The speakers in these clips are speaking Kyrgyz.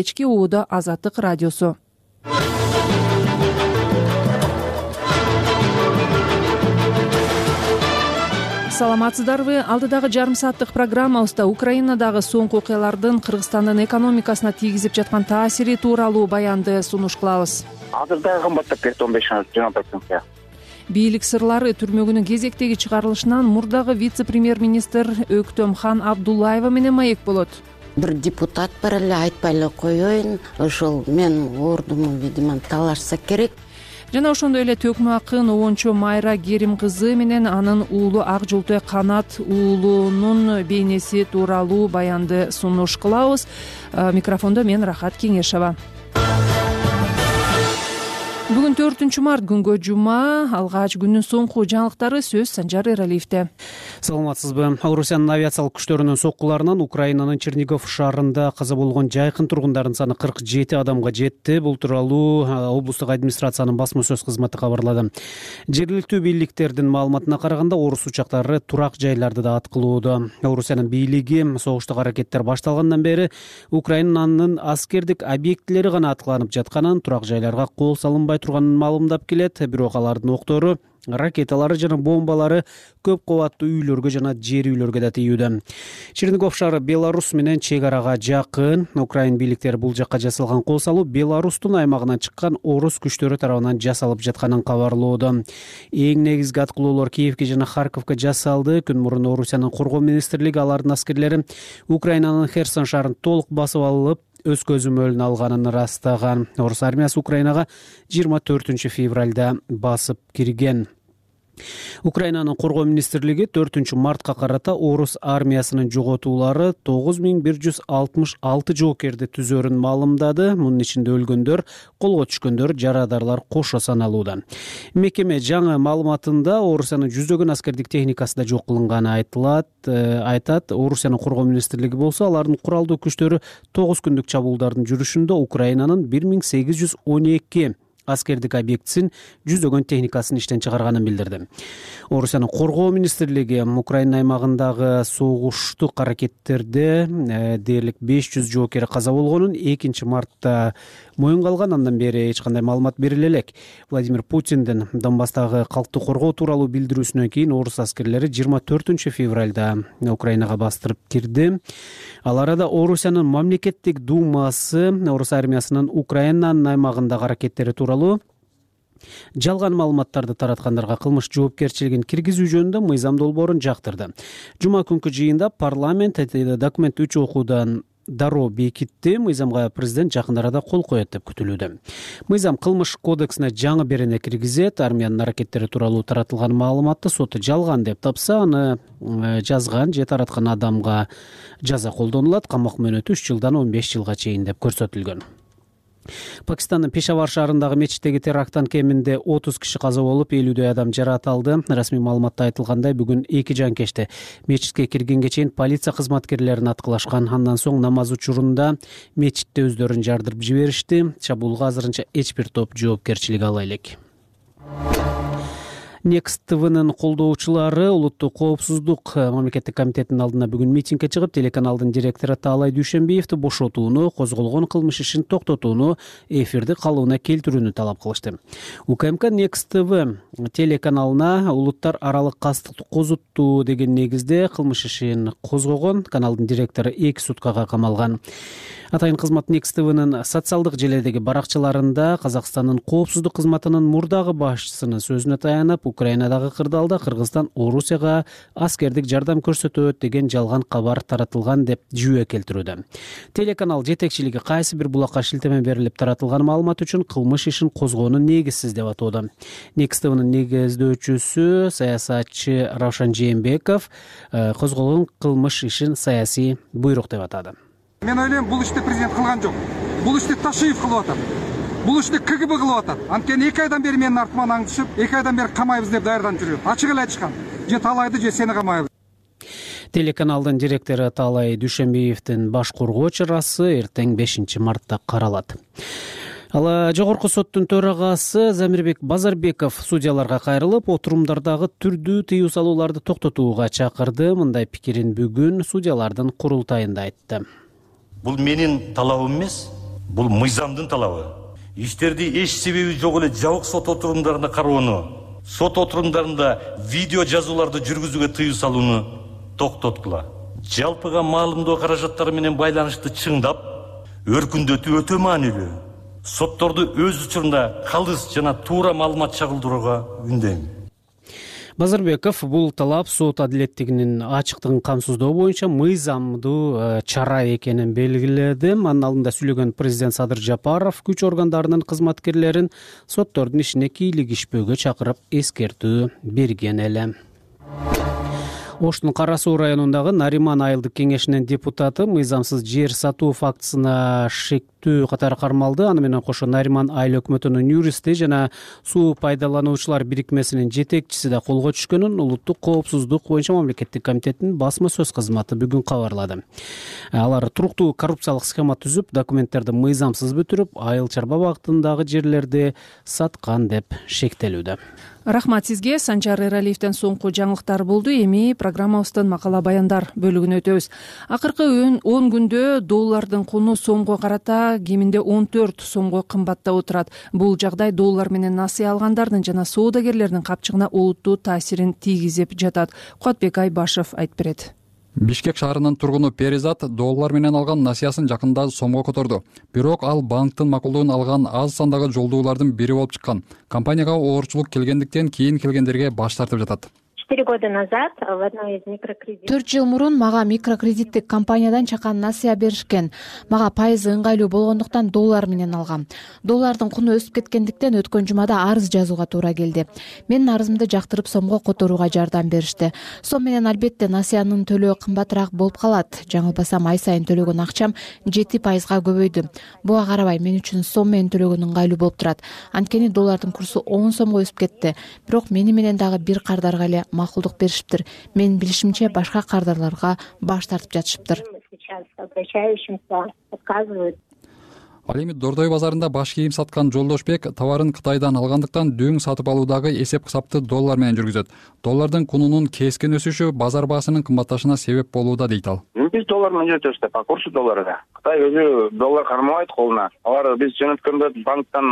кечки ууда Азаттык радиосу. Саламатсыздарбы? Алдыдагы жарым сааттык программабызда Украинадагы соңку окуялардын Кыргызстандын экономикасына тийгизип жаткан таасири тууралуу баянды сунуш кылабыз. Азыр кымбаттап кетти 15-20%. Бийлик сырлары түрмөгүнүн кезектеги чыгарылышынан мурдагы вице-премьер-министр Өктөмхан Абдуллаева менен маек болот. Бир депутат бар эле, айтпай эле коеюн, ошол мен ордуму видимо талашса керек. Жана ошондой эле төкмө акын обончо Майра Керим кызы менен анын уулу Ак Жолтой Канат уулунун бейнеси тууралуу баянды сунуш кылабыз. Микрофондо мен Рахат Кеңешова. Бүгүн 4-март күнгө жума, алгач күндүн соңку жаңылыктары сөз Санжар Эралиевде. Саламатсызбы? Орусиянын авиациялык күчтөрүнүн соккуларынан Украинанын Чернигов шаарында каза болгон жайкын тургундардын саны 47 адамга жетти. Бул тууралуу облустук администрациянын басма сөз кызматы кабарлады. Жергиликтүү бийликтердин маалыматына караганда орус учактары турак жайларды да аткылоодо. Орусиянын бийлиги согуштук аракеттер башталгандан бери Украинанын аскердик объектилери гана аткыланып жатканын, турак жайларга кол салынбай турганын маалымдап келет. Бирок алардын октору, ракеталары жана бомбалары көп кабаттуу үйлөргө жана жер үйлөргө да тийүүдө. Чернигов шаары Беларус менен чек арага жакын. Украин бийликтери бул жакка жасалган кол салуу Беларустун аймагынан чыккан орус күчтөрү тарабынан жасалып жатканын кабарлоодо. Эң негизги аткылоолор Киевке жана Харьковко жасалды. Күн мурун Орусиянын коргоо министрлиги алардын аскерлери Украинанын Херсон шаарын толук басып алып, өз көзөмөлүн алганын ырастаган. Орус армиясы Украинага 24 февралда басып кирген. Украинанын коргоо министрлиги 4-мартка карата орус армиясынын жоготуулары 9166 жоокерди түзөрүн маалымдады. Мунун ичинде өлгөндөр, колго түшкөндөр, жарадарлар кошо саналууда. Мекеме жаңы маалыматында Орусиянын жүздөгөн аскердик техникасы да жок кылынганы айтат. Орусиянын коргоо министрлиги болсо алардын куралдуу күчтөрү 9 күндүк чабуулдардын жүрүшүндө Украинанын 1812 аскердик объектисин жүздөгөн техникасын иштен чыгарганын билдирди. Орусиянын коргоо министрлиги Украина аймагындагы согуштук аракеттерде дээрлик 500 жоокери каза болгонун 2-мартта моюнга алган. Андан бери эч кандай маалымат бериле элек. Владимир Путиндин Донбасстагы калкты коргоо тууралуу билдирүүсүнөн кийин орус аскерлери 24 февралда Украинага бастырып кирди. Ал арада Орусиянын мамлекеттик думасы орус армиясынын Украинанын аймагындагы аракеттери тууралуу жалган маалыматтарды тараткандарга кылмыш жоопкерчилигин киргизүү жөнүндө мыйзам долбоорун жактырды. Жума күнкү жыйында парламент документ 3 окуудан дароо бекитти. Мыйзамга президент жакын арада кол коет деп күтүлүүдө. Мыйзам кылмыш кодексине жаңы берене киргизет. Армиянын аракеттери тууралуу таратылган маалыматты сот жалган деп тапса, аны жазган же тараткан адамга жаза колдонулат. Камак мөөнөтү 3 жылдан 15 жылга чейин деп көрсөтүлгөн. Пакистандын Пешавар шаарындагы мечиттеги теракттан кеминде 30 киши каза болуп, 50дөй адам жаракат алды. Расмий маалыматта айтылгандай, бүгүн 2 жанкечте мечитке киргенге чейин полиция кызматкерлерин аткылашкан. Андан соң намаз учурунда мечитте өздөрүн жардырып жиберишти. Чабуулга азырынча эч бир топ жоопкерчилик ала элек. Next TV'нын колдоочулары улуттук коопсуздук мамлекеттик комитетинин алдына бүгүн митингге чыгып, телеканалдын директору Таалай Дүйшөнбиевди бошотууну, козголгон кылмыш ишин токтотууну, эфирди калыбына келтирүүнү талап кылышты. УКМК Next TV телеканалына улуттар аралык кастыкты козуттуу деген негизде кылмыш ишин козгогон. Каналдын директору 2 суткага камалган. Атайын кызмат Next TV'нын социалдык желедеги баракчаларында Казакстандын коопсуздук кызматынын мурдагы башчысынын сөзүнө таянып, Украинадагы кырдаалда Кыргызстан Орусияга аскердик жардам көрсөтөт деген жалган кабар таратылган деп жүйө келтирүүдө. Телеканал жетекчилиги кайсы бир булакка шилтеме берилип таратылган маалымат үчүн кылмыш ишин козгоону негизсиз деп атоодо. Next TV'нын негиздөөчүсү саясатчы Равшан Жээнбеков козголгон кылмыш ишин саясий буйрук деп атады. Мен ойлойм, бул ишти президент кылган жок. Бул ишти Ташиев кылып атат. Бул ишти КГБ кылып атат. Анткени 2 айдан бери менин артыман аң түшүп, 2 айдан бери камайбыз деп даярданып жүрөт. Ачык эле айтышкан. Же Талайды, же сени камайбыз. Телеканалдын директору Таалай Дүйшөнбиевдин баш коргоо чарасы эртең 5-мартта каралат. Ал жогорку соттун төрагасы Замирбек Базарбеков судьяларга кайрылып, отурумдардагы түрдүү тыюу салууларды токтотууга чакырды. Мындай пикирин бүгүн судьялардын курултайында айтты. Бул менин талабым эмес, Бул мыйзамдын талабы. Иштерди эч себеби жок эле жабык сот отурумдарында кароону, сот отурумдарында видео жазууларды жүргүзүүгө тыюу салууну токтоткула. Жалпыга маалымдоо каражаттары менен байланыштуу чыңдап, өркүндөтүү өтө маанилүү. Сотторду өз учурунда калыс жана туура маалымат чагылдырууга үндейм. Базарбеков бул талап сот адилеттигинин ачыктыгын камсыздоо боюнча мыйзамдуу чара экенин белгиледи. Анын алдында сүйлөгөн президент Садыр Жапаров күч органдарынын кызматкерлерин соттордун ишине кийлигишпөөгө чакырып эскертүү берген эле. Оштун Кара Суу районундагы Нариман айылдык кеңешинин депутаты мыйзамсыз жер сатуу фактысына шектүү катары кармалды. Аны менен кошо Нариман айыл өкмөтүнүн юристи жана суу пайдалануучулар бирикмесинин жетекчиси да колго түшкөнүн Улуттук коопсуздук боюнча мамлекеттик комитеттин басма сөз кызматы бүгүн кабарлады. Алар туруктуу коррупциялык схема түзүп, документтерди мыйзамсыз бүтүрүп, айыл чарба багытындагы жерлерди саткан деп шектелүүдө. Рахмат сизге. Санжар Эралиевден соңку жаңылыктар болду. Эми программабыздын макала баяндар бөлүгүнө өтөбүз. Акыркы 10 күндө доллардын куну сомго карата кеминде 14 сомго кымбаттап отурат. Бул жагдай доллар менен насыя алгандардын жана соодагерлердин капчыгына олуттуу таасирин тийгизип жатат. Кубатбек Айбашев айтып берет. Бишкек шаарынын тургуну Перизат доллар менен алган насыясын жакында сомго которду. Бирок ал банктын макулдугун алган аз сандагы жолдуулардын бири болуп чыккан. Компанияга оорчулук келгендиктен кийин келгендерге баш тартып жатат. 4 года назад в одной из микрокредитов 4 жыл мурун мага микрокредиттик компаниядан чакан насыя беришкен. Мага пайызы ыңгайлуу болгондуктан доллар менен алгам. Доллардын куну өсүп кеткендиктен өткөн жумада арыз жазууга туура келди. Менин арызымды жактырып сомго которууга жардам беришти. Сом менен албетте насыянын төлөө кымбатыраак болуп калат. Жаңылбасам ай сайын төлөгөн акчам 7%га көбөйдү. Буга карабай мен үчүн сом менен төлөгөн ыңгайлуу болуп турат. Анткени доллардын курсу 10 сомго өсүп кетти. Бирок мени менен дагы бир кардарга эле макулдук беришиптир. Менин билишимче башка кардарларга баш тартып жатышыптыр. Ал эми Дордой базарында баш кийим саткан Жолдошбек товарын Кытайдан алгандыктан дөң сатып алуудагы эсеп-кысапты доллар менен жүргүзөт. Доллардын кунунун кескин өсүшү базар баасынын кымбатташына себеп болууда дейт ал. Биз доллар менен жөнөтөбүз деп, курсу долларга. Кытай өзү доллар кармабайт колуна. Алар биз жөнөткөндө банктан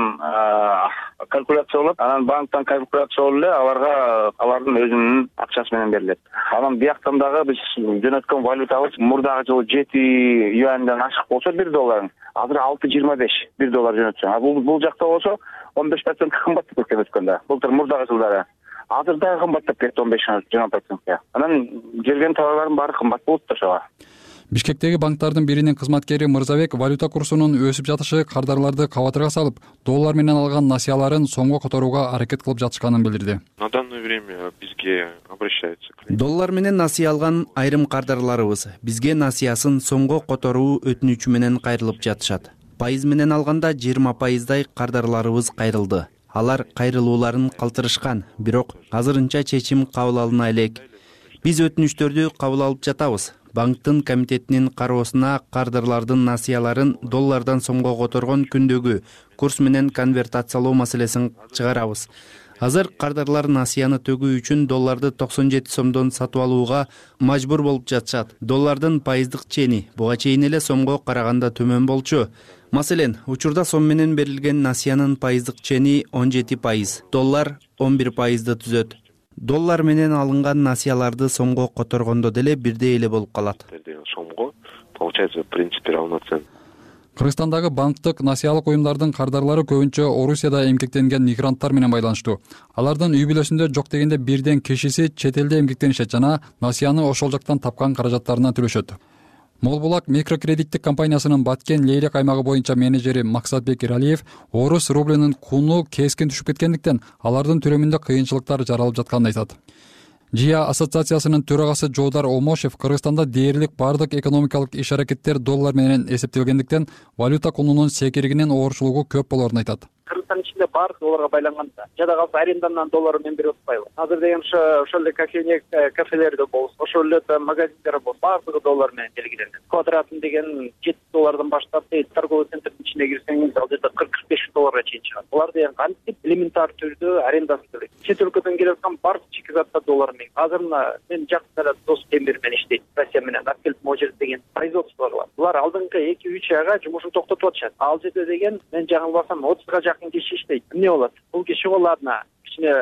калькуляциялап, анан банктан калькуляциялап эле алардын өзүнүн акчасы менен берилет. Анан бияктан дагы биз жөнөткөн валютабыз мурдагы жылы 7 юанден ашык болсо 1 доллар. Азыр 6.25 1 доллар жөнөтсө. Бул жакта болсо 15% кымбаттап кеткен өткөндө. Былтыр мурдагы жылдары. Азыр дагы кымбаттап кетти 15-20%. Анан келген товарлардын баары кымбат болуп ошого. Бишкектеги банктардын биринин кызматкери Мырзабек валюта курсунун өсүп жатышы кардарларды кабатырга салып, доллар менен алган насыяларын сомго которууга аракет кылып жатышканын билдирди. На данное время бизге обращаются. Доллар менен насыя алган айрым кардарларыбыз бизге насыясын сомго которуу өтүнүчү менен кайрылып жатышат. Пайыз менен алганда 20%дай кардарларыбыз кайрылды. Алар кайрылууларын калтырышкан, бирок азырынча чечим кабыл алына элек. Биз өтүнүчтөрдү кабыл алып жатабыз. Банктын комитетинин кароосуна кардарлардын насыяларын доллардан сомго которгон күндөгү курс менен конвертациялоо маселесин чыгарабыз. Азыр кардарлар насыяны төгүү үчүн долларды 97 сомдон сатып алууга мажбур болуп жатышат. Доллардын пайыздык чени буга чейин эле сомго караганда төмөн болчу. Маселен, учурда сом менен берилген насыянын пайыздык чени 17%, доллар 11%ды түзөт. Доллар менен алынган насыяларды сомго которгондо деле бирдей эле болуп калат. Сомго, получается, в принципе, равноценно. Кыргызстандагы банктык насыялык уюмдардын кардарлары көбүнчө Орусияда эмгектенген мигранттар менен байланыштуу. Алардын үй бүлөсүндө жок дегенде бирден кишиси чет элде эмгектенишет жана насыяны ошол жактан тапкан каражаттарынан төлөшөт. Молбулак микрокредиттик компаниясынын Баткен Лейлек аймагы боюнча менеджери Максатбек Иралиев орус рублинин куну кескин түшүп кеткендиктен алардын төлөмүндө кыйынчылыктар жаралып жатканын айтат. ЖИА ассоциациясынын төрагасы Жоодар Омошев Кыргызстанда дээрлик бардык экономикалык иш-аракеттер доллар менен эсептелгендиктен валюта кунунун секиригинин оорчулугу көп болоорун айтат. Кыргызстан ичинде баардык долларга байланган. Жада калса арендандан доллар менен берип атпайбы. Азыр деген ошол эле кафелерде болсун, ошол эле магазиндер болсун, баардыгы доллар менен белгиленет. Квадратын деген 7 доллардан баштап, торговый центрдин ичине кирсеңиз, ал жерде 40-45 долларга чейин чыгат. Булар деген кантип элементар түрдө арендасын төлөйт. Чет өлкөдөн келип аткан бардык чекизатта доллар менен. Азыр мен жакында эле дос темир менен иштейт. Россия менен алып келип могул жерде деген производство бар. булар алдыңкы 2-3 айга жумушун токтотуп атышат. Ал жерде деген мен жаңылбасам 30га жакын киши иштейт. Эмне болот? Бул киши ладно кичине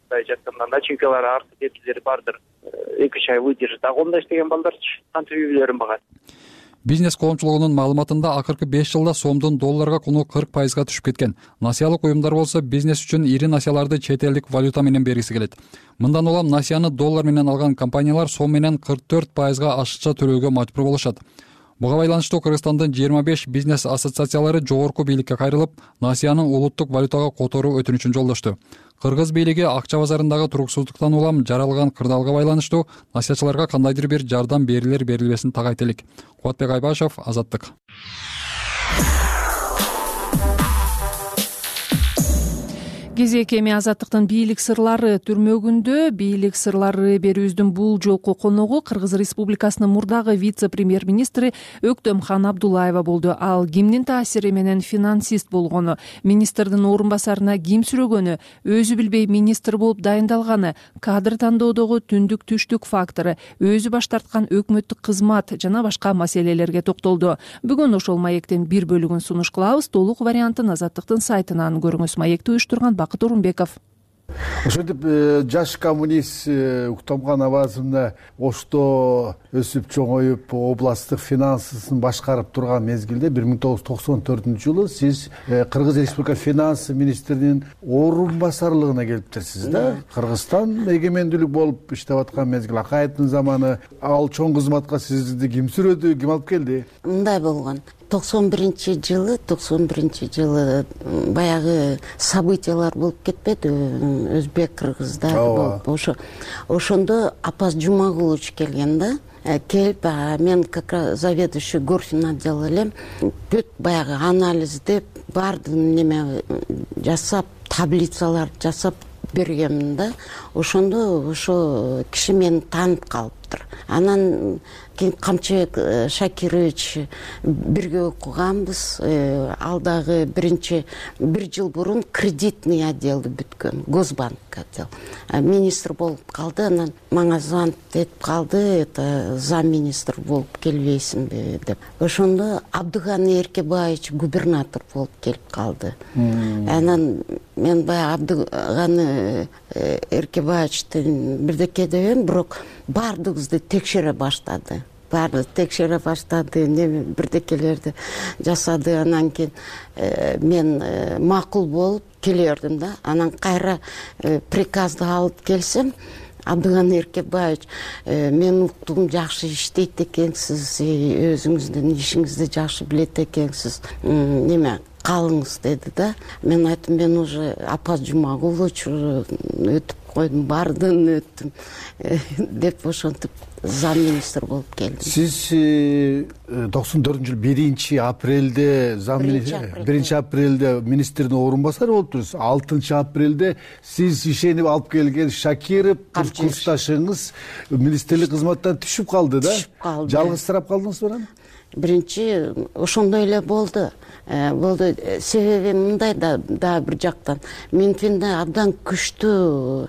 мындай жатканда начинкалары артып кеткилери бардыр. 2-3 ай выдержит. А онда иштеген балдарчы кантип үй-бүлөлөрүн багат? Бизнес коомчулугунун маалыматында акыркы 5 жылда сомдун долларга куну 40% түшүп кеткен. Насиялык уюмдар болсо бизнес үчүн ири насияларды чет элдик валюта менен бергиси келет. Мындан улам насияны доллар менен алган компаниялар сом менен 44% ашыкча төлөөгө мажбур болушат. Буга байланыштуу Кыргызстандын 25 бизнес ассоциациялары жогорку бийликке кайрылып, насиянын улуттук валютага которуу өтүнүчүн жолдошту. Кыргыз бийлиги акча базарындагы туруксуздуктан улам жаралган кырдаалга байланыштуу насиячыларга кандайдыр бир жардам берилер-берилбесин тагайт элек. Кубатбек Айбашев, Азаттык. Кезек эми Азаттыктын бийлик сырлары түрмөгүндө. Бийлик сырлары берүүбүздүн бул жолку коногу Кыргыз Республикасынын мурдагы вице-премьер-министри Өктөмхан Абдуллаева болду. Ал кимдин таасири менен финансист болгону, министрдин орун басарына ким сүрөгөнү, өзү билбей министр болуп дайындалганы, кадр тандоодогу түндүк түштүк фактору, өзү баш тарткан өкмөттүк кызмат жана башка маселелерге токтолду. Бүгүн ошол маектин бир бөлүгүн сунуш кылабыз. Толук вариантын Азаттыктын сайтынан көрүңүз. Маекти уюштурган Бакыт Орунбеков. Ошентип жаш коммунист Өктөмхан абазымда Ошто өсүп чоңоюп областтык финансысын башкарып турган мезгилде 1994-жылы сиз Кыргыз Республика финанс министринин орун басарлыгына келиптирсиз да. Кыргызстан эгемендүүлүк болуп иштеп аткан мезгил, Акаевдин заманы. Ал чоң кызматка сизди ким сүрөдү, ким алып келди? Мындай болгон. 91-жылы баягы событиялар болуп кетпеди, өзбек кыргыздар болуп. Ошондо Апаз Жумагулович келген да. Келип, мен как раз заведующий горфин отдела элем. Бүт баягы анализдеп, баардыгын неме жасап, таблицалар жасап бергенмин да. Ошондо ошо киши мени таанып калыптыр. Анан Камчыбек Шакирович бирге окуганбыз. Ал дагы бир жыл бурун кредитный отделди бүткөн, Госбанк отдел. Министр болуп калды, анан мага звонок этип калды, это замминистр болуп келбейсиңби деп. Ошондо Абдыганы Эркебаевич губернатор болуп келип калды. Анан мен баягы Абдыганы Эркебаевичтин бирдеке дебем, бирок баардыгыбызды текшере баштады. Бирдекелерди жасады. Анан кийин мен макул болуп келе бердим да. Анан кайра приказды алып келсем, Абдыганы Эркебаевич, мен уктум, жакшы иштейт экенсиз, өзүңүздүн ишиңизди жакшы билет экенсиз, неме калыңыз деди да. Мен айттым, мен уже Апаз Жумагулович өтүп койдум, бардын өттүм деп ошентип замминистр болуп келдим. Сиз 94-жылы 1-апрелде 1-апрелде министрдин орун басары болуп турсуз. 6-апрелде сиз ишенип алып келген Шакиров курсташыңыз министрлик кызматтан түшүп калды да? Жалгызсырап калдыңызбы анан? Биринчи ошондой эле болду. Себеби мындай да бир жактан Минфинде абдан күчтүү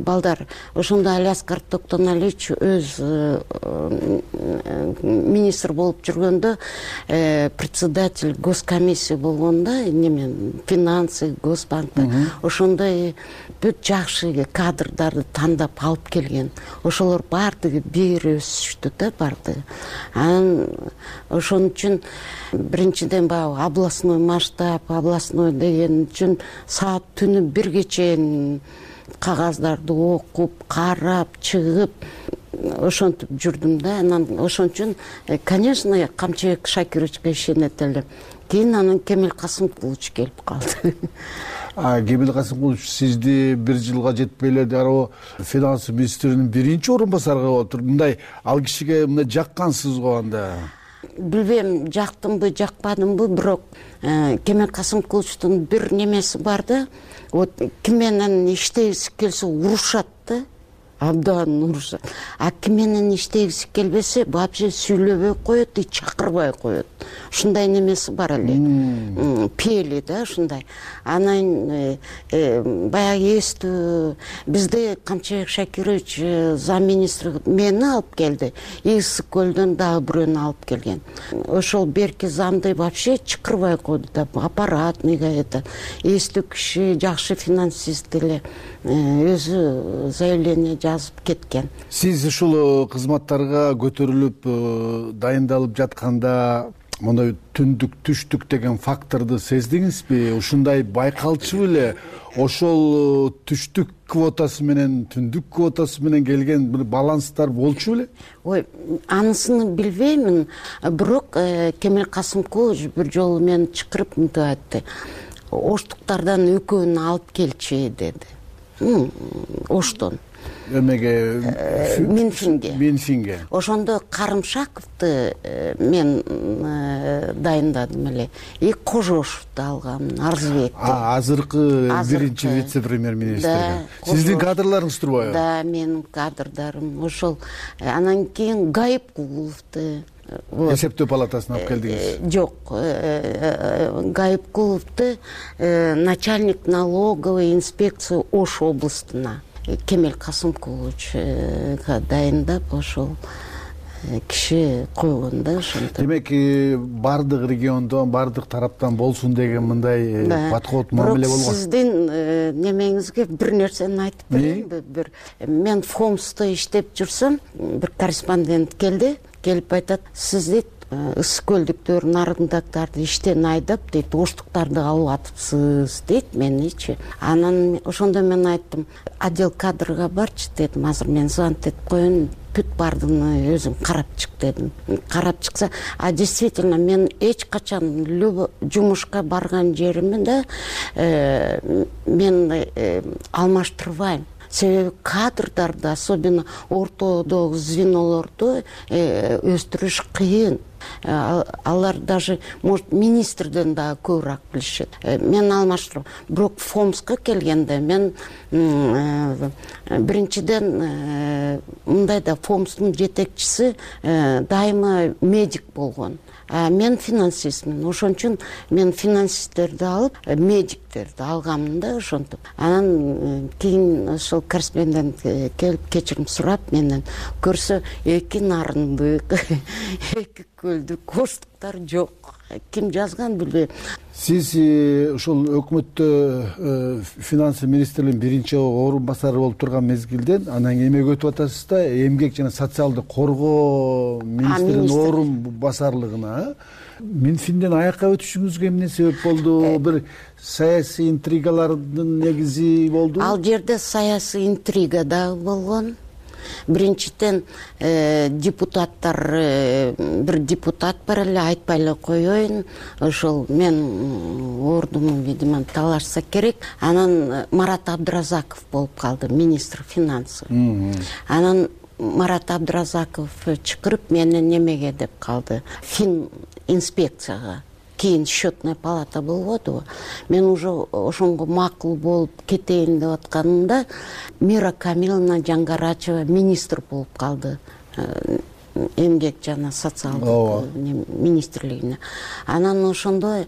балдар. Ошондо Алиаскар Токтоналич өз министр болуп жүргөндө, председатель госкомиссия болгондо, финансы, Госбанкта, ошондой бүт жакшы кадрдарды тандап алып келген. Ошолор баардыгы бир өсүштү да, баардыгы. Анан ошон үчүн биринчиден областной масштаб, областной деген үчүн саат түнү бирге чейин кагаздарды окуп, карап, чыгып, ошентип жүрдүм да. Анан ошон үчүн, конечно, Камчыбек Шакировичке ишенет элем. Кийин анан Кемел Касымкулович келип калды. Кемел Касымкулович сизди бир жылга жетпей эле дароо финанс министринин биринчи орун басарга отур. Мындай ал кишиге мындай жаккансыз го анда? Билбейм, жактымбы, жакпадымбы, бирок Кемел Касымкуловичтун бир немеси бар да. Вот ким менен иштегиси келсе урушат да. абдан урушат. А ким менен иштегиси келбесе вообще сүйлөбөй коет и чакырбай коет. Ушундай немеси бар эле. Пели да ушундай. Анан баягы эстүү бизде Камчыбек Шакирович замминистр мени алып келди. Ысык көлдөн дагы бирөөнү алып келген. Ошол берки замды вообще чакырбай койду да. Аппаратныйга это эстүү киши, жакшы финансист эле өзү заявление жазып кеткен. Сиз ушул кызматтарга көтөрүлүп дайындалып жатканда мондай түндүк түштүк деген факторду сездиңизби? Ушундай байкалчу беле? Ошол түштүк квотасы менен түндүк квотасы менен келген бир баланстар болчу беле? Ой, анысını билбеймин, бирок Кемел Касымкулович бир жолу мени чакырып мынтип айтты. Оштуктардан экөөнү алып келчи деди. Оштон. Эмеге? Минфинге. Ошондо Карымшаковду мен дайындадым эле. И Кожошовду алгам, Арзыбекти. Азыркы биринчи вице-премьер-министр. Сиздин кадрларыңыз турбайбы? Да, менин кадрдарым. Ошол анан кийин Гайыпкуловду эсептөө палатасына алып келдиңиз? Жок, Гайыпкуловду начальник налоговой инспекции Ош областына Кемел Касымкуловичка дайындап ошол киши койгон да ошентип. Демек, бардык региондон, бардык тараптан болсун деген мындай подход мамиле болгон. Бирок сиздин немеңизге бир нерсени айтып берейинби? Мен Фомсто иштеп жүрсөм, бир корреспондент келип айтат, сиз дейт ысык көлдүктөр, нарындактарды иштен айдап дейт, оштуктарды алып атыпсыз дейт меничи. Анан ошондо мен айттым, отдел кадрга барчы дедим, азыр мен звонить этип коеюн, бүт бардыгын өзүң карап чык дедим. Карап чыкса, действительно мен эч качан жумушка барган жеримде мен алмаштырбайм. Себеби кадрдарды, особенно ортодогу звенолорду өстүрүш кыйын. Алар даже, может, министрден дагы көбүрөөк билишет. Мен алмаштырам. Бирок Фомска келгенде мен биринчиден мындай да Фомстун жетекчиси дайыма медик болгон. Мен финансистмин. Ошон үчүн мен финансисттерди алып, медиктерди алгамын да ошентип. Анан кийин ошол корреспондент келип кечирим сурап менен көрсө, эки нарындык, эки көлдүк, оштуктар жок. Ким жазган билбейм. Сиз ошол өкмөттө финанс министрлигинин биринчи орун басары болуп турган мезгилден анан эмек өтүп атасыз да, эмгек жана социалдык коргоо министринин орун басарлыгына. Минфинден аякка өтүшүңүзгө эмне себеп болду? Бир саясий интригалардын негизи болду? Ал жерде саясий интрига дагы болгон. Биринчиден депутаттар, бир депутат бар эле, айтпай эле коеюн, ошол мен ордуму, видимо, талашса керек. Анан Марат Абдыразаков болуп калды, министр финансов. Анан Марат Абдыразаков чакырып мени немеге деп калды, фин инспекцияга. Кийин счетная палата болбодубу. Мен уже ошонго макул болуп кетейин деп атканымда Мира Камиловна Жаңгарачева министр болуп калды. Эмгек жана социалдык министрлигине. Анан ошондо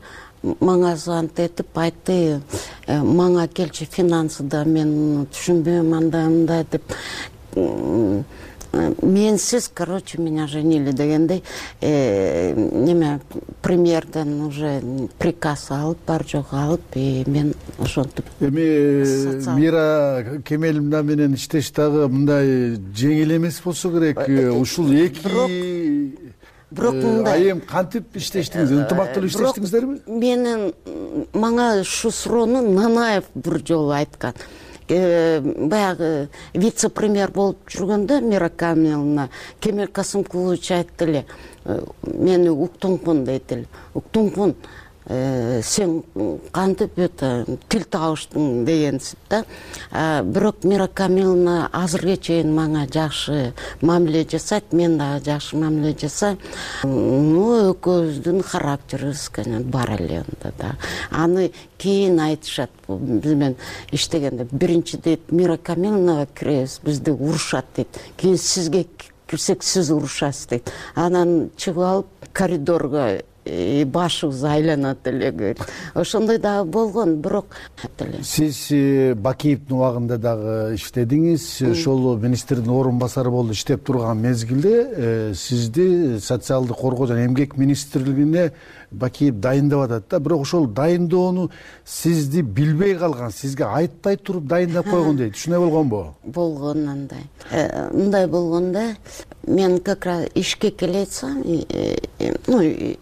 мага звонить этип айтты, мага келчи финансыда мен түшүнбөйм андай деп. Менсиз, короче, меня женили дегендей, неме премьерден уже приказ алып, бар жок алып, и мен ошентип. Эми Мира Кемеловна менен иштеш дагы мындай жеңил эмес болсо керек. Ушул эки айым кантип иштештиңиз? Ынтымактуу иштештиңиздерби? Менин мага ушу суроону Нанаев бир жолу айткан. Баягы вице-премьер болуп жүргөндө Мира Камиловна Кемел Касымкулович айтты эле, мени уктуңмун дейт эле. Уктуңмун, сен кантип тил табыштың дегенсип да. Бирок Мира Камиловна азыркыга чейин мага жакшы мамиле жасайт, мен дагы жакшы мамиле жасайм. Экөөбүздүн характерибиз бар эле анда да. Аны кийин айтышат, биз менен иштегенде биринчи дейт Мира Камиловнага киребиз, бизди урушат дейт. Кийин сизге кирсек сиз урушасыз дейт. Анан чыгып алып коридорго башыбыз айланат эле. Ошондой дагы болгон, бирок сиз Бакиевдин убагында дагы иштедиңиз. Ошол министрдин орун басары болуп иштеп турган мезгилде сизди социалдык коргоо жана эмгек министрлигине Бакиев дайындап атат да. Бирок ошол дайындоону сизди билбей калган, сизге айтпай туруп дайындап койгон дейт. Ушундай болгонбу? Болгон андай. Мындай болгондо мен как раз ишке келетсам,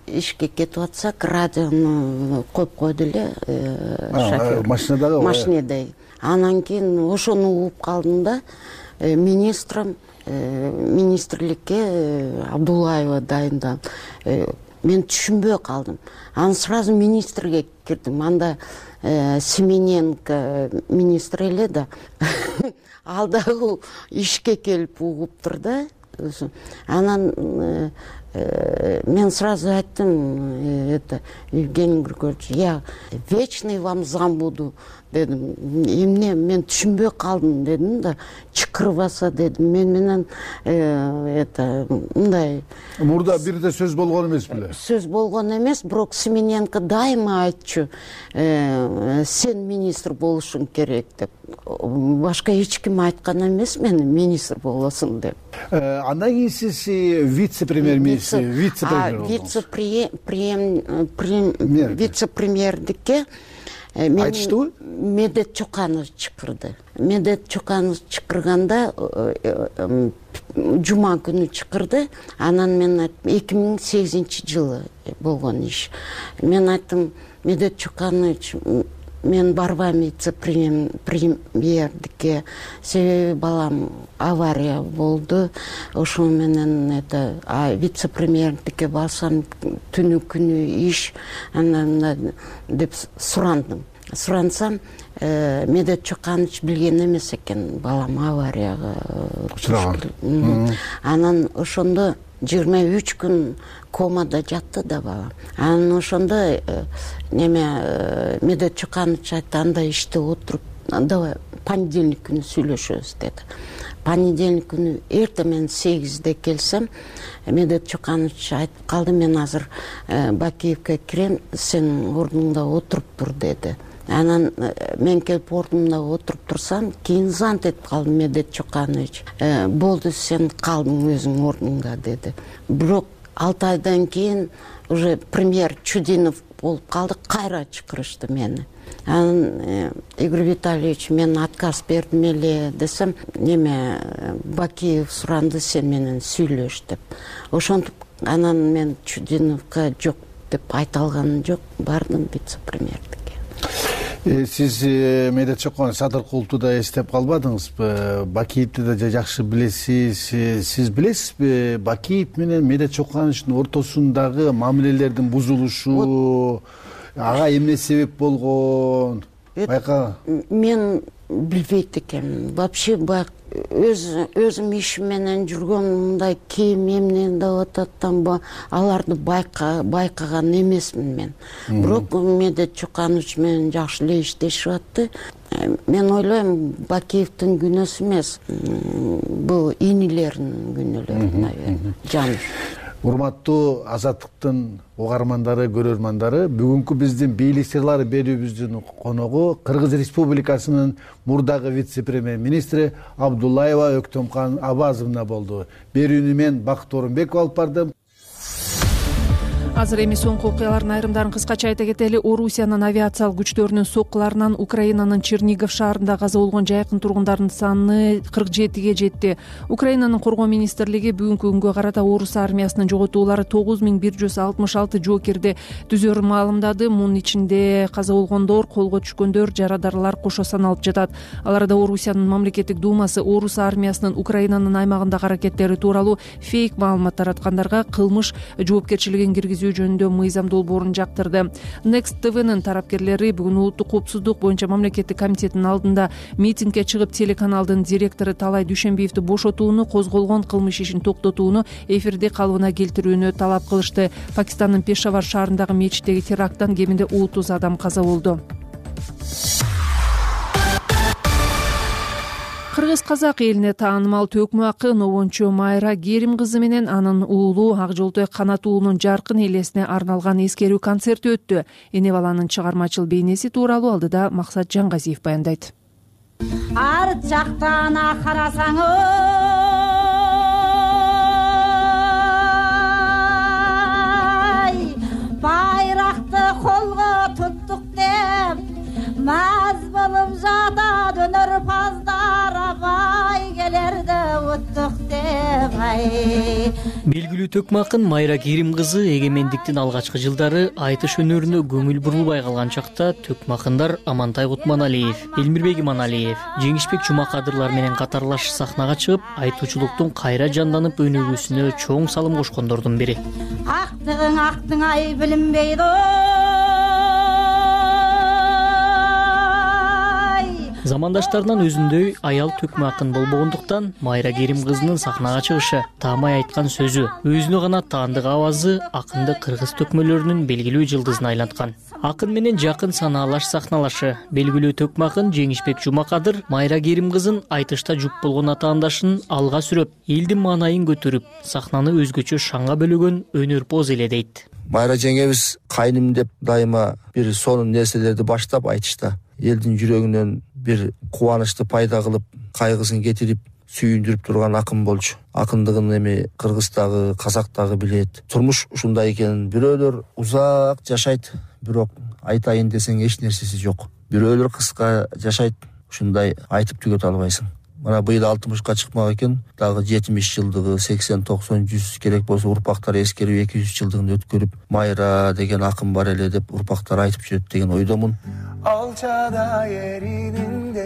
ишке кетип атсак, радиону коюп койду эле шофер. Машинадагы? Машинада. Анан кийин ошону угуп калдым да, министрликке Абдуллаева дайындап. Мен түшүнбөй калдым. Анан сразу министрге кирдим. Анда Семененко министр эле да. Ал дагы ишке келип угуптур да. Анан мен сразу айттым, Евгений Григорьевич, я вечный вам зам буду дедим. Эмне мен түшүнбөй калдым дедим да. Чыкырбаса дедим. Мен менен мындай мурда бир да сөз болгон эмес беле? Сөз болгон эмес, бирок Семененко дайыма айтчу, сен министр болушуң керек деп. Башка эч ким айткан эмес мени министр болосуң деп. Андан кийин сиз вице-премьер-министр, вице-премьердикке айтыштыбы? Медет Чоканов чакырды. Медет Чоканов чакырганда жума күнү чакырды. Анан мен айттым, 2008-жылы болгон иш. Мен айттым, Медет Чоканович, мен барбайм вице-премьердикке, себеби балам авария болду. Ошо менен вице-премьердикке барсам түнү күнү иш, анан деп сурансам, Медет Чоканович билген эмес экен, балам аварияга учураган. Анан ошондо 23 күн комада жатты да балам. Анан ошондо Медет Чоканович айтты, анда иштеп отуруп, давай понедельник күнү сүйлөшөбүз деди. Понедельник күнү эртең мен 8-де келсем, Медет Чоканович айтып калды, мен азыр Бакиевке кирем, сен ордуңда отуруп тур деди. Анан мен келип ордумда отуруп турсам, кийин зант этип калдым. Медет Чоканович, болду, сен калдың өзүң ордуңда деди. Бирок 6 айдан кийин уже премьер Чудинов болуп калды, кайра чакырышты мени. Анан Игорь Витальевич, мен отказ бердим эле десем, Бакиев суранды, сен менен сүйлөш деп. Ошентип анан мен Чудиновго жок деп айта алганым жок, бардым вице-премьердикке. Сиз Медет Чоканов Садыркуловду да эстеп калбадыңызбы? Бакиевди да жакшы билесиз. Сиз билесизби, Бакиев менен Медет Чокановичтин ортосундагы мамилелердин бузулушу, ага эмне себеп болгон? Байка. Мен билбейт экенмин. Вообще өзүм ишим менен жүргөн, мындай кийим эмне деп ататтан аларды байкаган эмесмин мен. Бирок Медет Чоканович менен жакшы эле иштешип атты. Мен ойлойм, Бакиевдин күнөөсү эмес, бул инилердин күнөөлөрү, наверное, жан. Урматтуу Азаттыктын угармандары, көрөрмандары, бүгүнкү биздин бийлик сырлары берүүбүздүн коногу Кыргыз Республикасынын мурдагы вице-премьер-министри Абдуллаева Өктөмкан Абазовна болду. Берүүнү мен Бакыт Орунбеков алып бардым. Азыр эми соңку окуялардын айрымдарын кыскача айта кетели. Орусиянын авиациялык күчтөрүнүн соккуларынан Украинанын Чернигов шаарында каза болгон жайкын тургундардын саны 47-ге жетти. Украинанын коргоо министрлиги бүгүнкү күнгө карата орус армиясынын жоготуулары 9166 жоокерди түзөөрүн маалымдады. Мунун ичинде каза болгондор, колго түшкөндөр, жарадарлар кошо саналып жатат. Аларда Орусиянын мамлекеттик думасы орус армиясынын Украинанын аймагындагы аракеттери тууралуу фейк маалымат тараткандарга кылмыш жоопкерчилигин киргизүү өткөзүү жөнүндө мыйзам долбоорун жактырды. Next TV'нын тарапкерлери бүгүн улуттук коопсуздук боюнча мамлекеттик комитеттин алдында митингге чыгып телеканалдын директору Талай Дүйшөнбиевди бошотууну, козголгон кылмыш ишин токтотууну, эфирди калыбына келтирүүнү талап кылышты. Пакистандын Пешавар шаарындагы мечиттеги теракттан кеминде 30 адам каза болду. Кыргыз-казак элине таанымал төкмө акын обончу Майра Керим кызы менен анын уулу Ак Жолтой Канат уулунун жаркын элесине арналган эскерүү концерти өттү. Эне баланын чыгармачыл бейнеси тууралуу алдыда Максат Жаңгазиев баяндайт. Арт жактан карасаң байракты колго туттук деп маз болуп жатат өнөрпаздар абай келерде уттук деп белгилүү төкмө акын Майра Керим кызы эгемендиктин алгачкы жылдары айтыш өнөрүнө көңүл бурулбай калган чакта төкмө акындар Амантай Кутманалиев, Элмирбек Иманалиев, Жеңишбек Жумакадырлар менен катарлаш сахнага чыгып, айтуучулуктун кайра жанданып өнүгүүсүнө чоң салым кошкондордун бири. Актың ай билинбейди Замандаштарынан өзүндөй аял төкмө акын болбогондуктан Майра Керим кызынын сахнага чыгышы, таамай айткан сөзү, өзүнө гана таандык авазы акынды кыргыз төкмөлөрүнүн белгилүү жылдызына айланткан. Акын менен жакын санаалаш сахналашы, белгилүү төкмө акын Жеңишбек Жумакадыр Майра Керим кызын айтышта жуп болгон атаандашын алга сүрөп, элдин маанайын көтөрүп, сахнаны өзгөчө шаңга бөлөгөн өнөрпоз эле дейт. Майра жеңебиз кайным деп дайыма бир сонун нерселерди баштап айтышта элдин жүрөгүнөн бир кубанычты пайда кылып, кайгысын кетирип, сүйүндүрүп турган акын болчу. Акындыгын эми Кыргыздагы, Казактагы билет. Турмуш ушундай экенин, бирөөлөр узак жашайт, бирок айтайын десең эч нерсеси жок. Бирөөлөр кыска жашайт, ушундай айтып түгөтө албайсың. Мана быйыл 60-ка чыкмак экен, дагы 70 жылдыгы, 80, 90, 100 керек болсо урпактар эскерүү 200 жылдыгын өткөрүп, Майра деген акын бар эле деп урпактар айтып жүрөт деген ойдомун. Алчада эридиңден,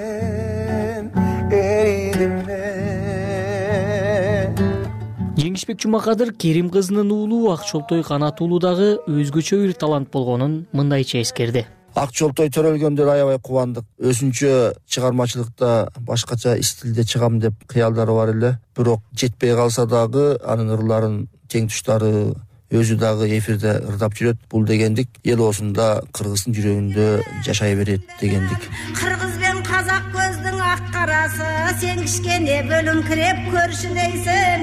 Жеңишбек Жумакадыр Керим кызынын уулу Ак Жолтой Канат уулу дагы өзгөчө бир талант болгонун мындайча эскерди. Ак Жолтой төрөлгөндө аябай кубандык. Өзүнчө чыгармачылыкта башкача стилде чыгам деп кыялдары бар эле. Бирок жетпей калса дагы анын ырларын, тең туштары өзү дагы эфирде ырдап жүрөт. Бул дегендик эл осунда кыргыздын жүрөгүндө жашай берет дегендик. Кыргыз бен казак көздүн ак карасы, сен кичкене бөлүңкүрөп көршүлөйсүң.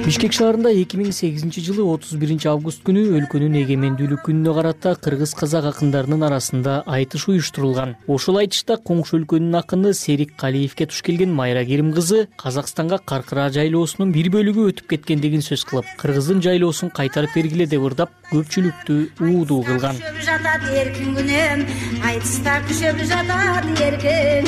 Бишкек шаарында 2008 жылы 31 август күнү өлкөнүн эгемендүүлүк күнүнө карата кыргыз-казак акындарынын арасында айтыш уюштурулган. Ошол айтышта коңшу өлкөнүн акыны Серик Калиевке туш келген Майра Керим кызы Казакстанга Каркыра жайлоосунун бир бөлүгү өтүп кеткендигин сөз кылып, кыргыздын жайлоосун кайтарып бергиле деп ырдап, көпчүлүктү уудуу кылган. Жатат эркин күнөм, айтышта күшөп жатат эркин.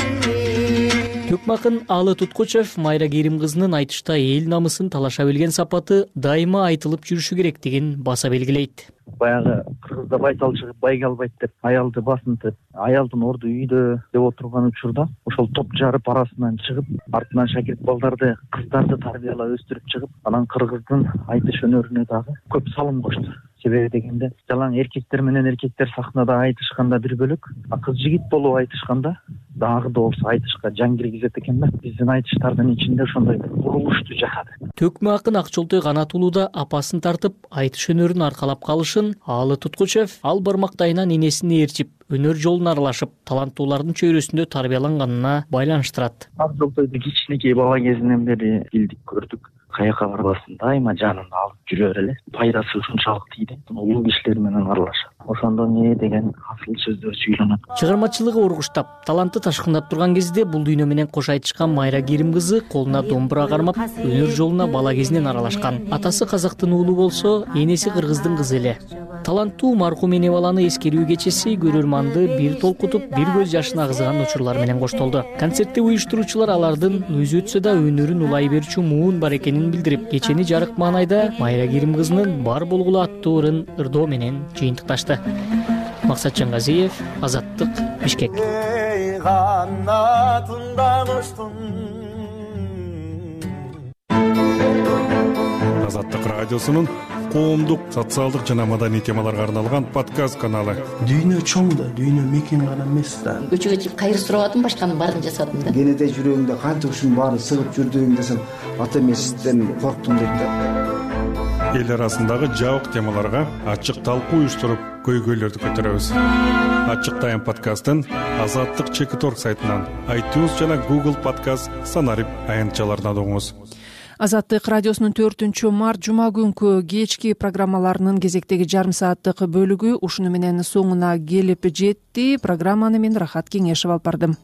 Төкмө акын Алы Туткучев Майра Керим кызынын айтышта эл намысын талаша билген сапаты дайыма айтылып жүрүшү керектигин баса белгилейт. Баягы кыргызда байтал чыгып байге албайт деп, аялды басынтып, аялдын орду үйдө деп отурган учурда ошол топ жарып арасынан чыгып, артынан шакирт балдарды, кыздарды тарбиялап өстүрүп чыгып, анан кыргыздын айтыш өнөрүнө дагы көп салым кошту. Себеби дегенде, жалаң эркектер менен эркектер сахнада айтышканда бир бөлөк, кыз жигит болуп айтышканда дагы да болсо айтышка жан киргизет экен да. Биздин айтыштардын ичинде ошондой курулушту жашады. Төкмө акын Ак Жолтой Канат уулу да апасын тартып, айтыш өнөрүн аркалап калышын Алы Туткучев ал бармактайынан энесине ээрчип, өнөр жолуна аралашып, таланттуулардын чөйрөсүндө тарбияланганына байланыштырат. Ак Жолтойду кичинекей бала кезинен бери билдик, көрдүк. Каяка барбасын дайыма жанында алып жүрөр эле. Пайдасы ушунчалык тийди. Улуу кишилер менен аралашат. Ошондо не деген асыл сөздөр сүйлөнөт. Чыгармачылыгы ургуштап, таланты ташкындап турган кезде бул дүйнө менен кош айтышкан Майра Керим кызы колуна домбура кармап, өнөр жолуна бала кезинен аралашкан. Атасы казактын уулу болсо, энеси кыргыздын кызы эле. Таланттуу маркум эне баланы эскерүү кечеси көрөрманды бир толкутуп, бир көз жашын агызган учурлар менен коштолду. Концертти уюштуруучулар алардын өзү өтсө да өнөрүн улай берчү муун бар экенин билдирип, кечени жарык маанайда Майра Керим кызынын бар болгулу аттуу ырын ырдоо менен жыйынтыкташты. Максат Жаңгазиев, Азаттык, Бишкек. Азаттык радиосунун коомдук, социалдык жана маданий темаларга арналган подкаст каналы. Дүйнө чоң да, дүйнө мекен гана эмес да. Көчөгө чыгып кайыр сурабадым, башканын баарын жасадым да. Кенеде жүрөгүңдө канча ушунун баары сыгып жүрдүң десем, ата эмесизден корктум дейт да. Эл арасындагы жабык темаларга ачык талкуу уюштуруп, көйгөйлөрдү көтөрөбүз. Ачык тайм подкастын Азаттык Чекит.org сайтынан, iTunes жана Google Podcast санарип аянтчаларынан угуңуз. Азаттык радиосунун 4-март жума күнкү кечки программаларынын кезектеги жарым сааттык бөлүгү ушуну менен соңуна келип жетти. Программаны мен Рахат Кеңешев алып бардым.